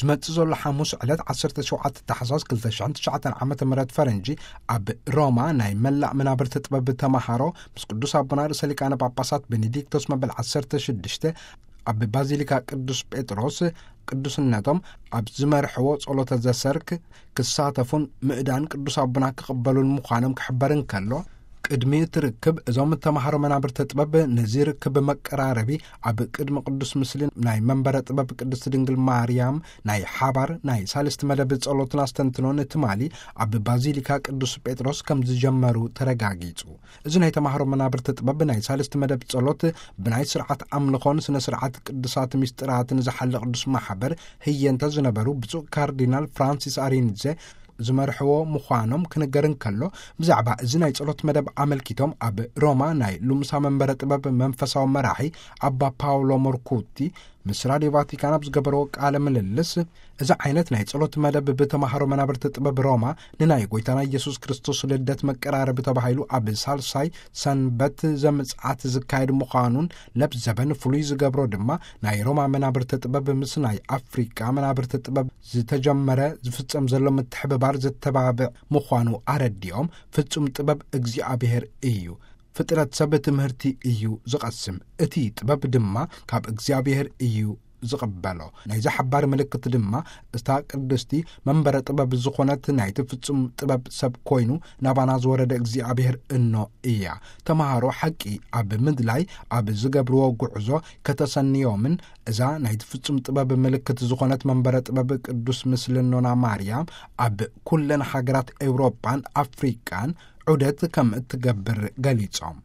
ዝመጽእ ዘሎ ሓሙስ ዕለት ዓሰርተ ሸውዓተ ታሕሳስ ክልተ ሽሕን ትሽዓተን ዓመተ ምህረት ፈረንጂ፣ ኣብ ሮማ ናይ መላእ መናብርቲ ጥበብ ተማሃሮ ምስ ቅዱስ ኣቦና ርእሰ ሊቃነ ጳጳሳት ቤኔዲክቶስ መበል ዓሰርተ ሽዱሽተ ኣብ ባዚሊካ ቅዱስ ጴጥሮስ ቅዱስነቶም ኣብ ዝመርሕዎ ጸሎተ ዘሰርክ ክሳተፉን ምእዳን ቅዱስ ኣቦና ክቕበሉን ምዃኖም ክሕበር እንከሎ፣ ቅድሚ እቲ ርክብ እዞም ተማሃሮ መናብርቲ ጥበብ ነዚ ርክብ መቀራረቢ ኣብ ቅድሚ ቅዱስ ምስሊ ናይ መንበረ ጥበብ ቅድስት ድንግል ማርያም ናይ ሓባር ናይ ሳልስቲ መደብ ጸሎትን ኣስተንትኖን ትማሊ ኣብ ባዚሊካ ቅዱስ ጴጥሮስ ከም ዝጀመሩ ተረጋጊጹ። እዚ ናይ ተማሃሮ መናብርቲ ጥበብ ናይ ሳልስቲ መደብ ጸሎት ብናይ ስርዓት ኣምልኾን ስነ ስርዓት ቅዱሳት ምስጢራትን ዝሓለ ቅዱስ ማሕበር ህየንተ ዝነበሩ ብፁዕ ካርዲናል ፍራንሲስ ኣሪንዘ ዝመርሕዎ ምዃኖም ክንገር እንከሎ፣ ብዛዕባ እዚ ናይ ጸሎት መደብ ኣመልኪቶም ኣብ ሮማ ናይ ሉምሳ መንበረ ጥበብ መንፈሳዊ መራሒ ኣባ ፓውሎ ሞርኩቲ ምስ ራድዮ ቫቲካን ኣብ ዝገበርዎ ቃለ ምልልስ፣ እዚ ዓይነት ናይ ጸሎት መደብ ብተማሃሮ መናብርቲ ጥበብ ሮማ ንናይ ጎይታና ኢየሱስ ክርስቶስ ልደት መቀራረቢ ተባሂሉ ኣብ ሳልሳይ ሰንበት ዘምጽኣት ዝካየድ ምዃኑን ለብ ዘበን ፍሉይ ዝገብሮ ድማ ናይ ሮማ መናብርቲ ጥበብ ምስ ናይ ኣፍሪቃ መናብርቲ ጥበብ ዝተጀመረ ዝፍጸም ዘሎ ምትሕብባር ዘተባብዕ ምዃኑ ኣረዲኦም፣ ፍጹም ጥበብ እግዚኣብሔር እዩ። ፍጥረት ሰብ ትምህርቲ እዩ ዝቐስም፣ እቲ ጥበብ ድማ ካብ እግዚኣብሔር እዩ ዝቕበሎ። ናይዚ ሓባር ምልክት ድማ እታ ቅድስቲ መንበረ ጥበብ ዝኾነት ናይቲ ፍጹም ጥበብ ሰብ ኮይኑ ናባና ዝወረደ እግዚኣብሔር እኖ እያ። ተማሃሮ ሓቂ ኣብ ምድላይ ኣብ ዝገብርዎ ጉዕዞ ከተሰንዮምን እዛ ናይቲ ፍጹም ጥበብ ምልክት ዝኾነት መንበረ ጥበብ ቅዱስ ምስልኖና ማርያም ኣብ ኩለን ሃገራት ኤውሮጳን ኣፍሪቃን ዑደት ከም እትገብር ገሊጾም።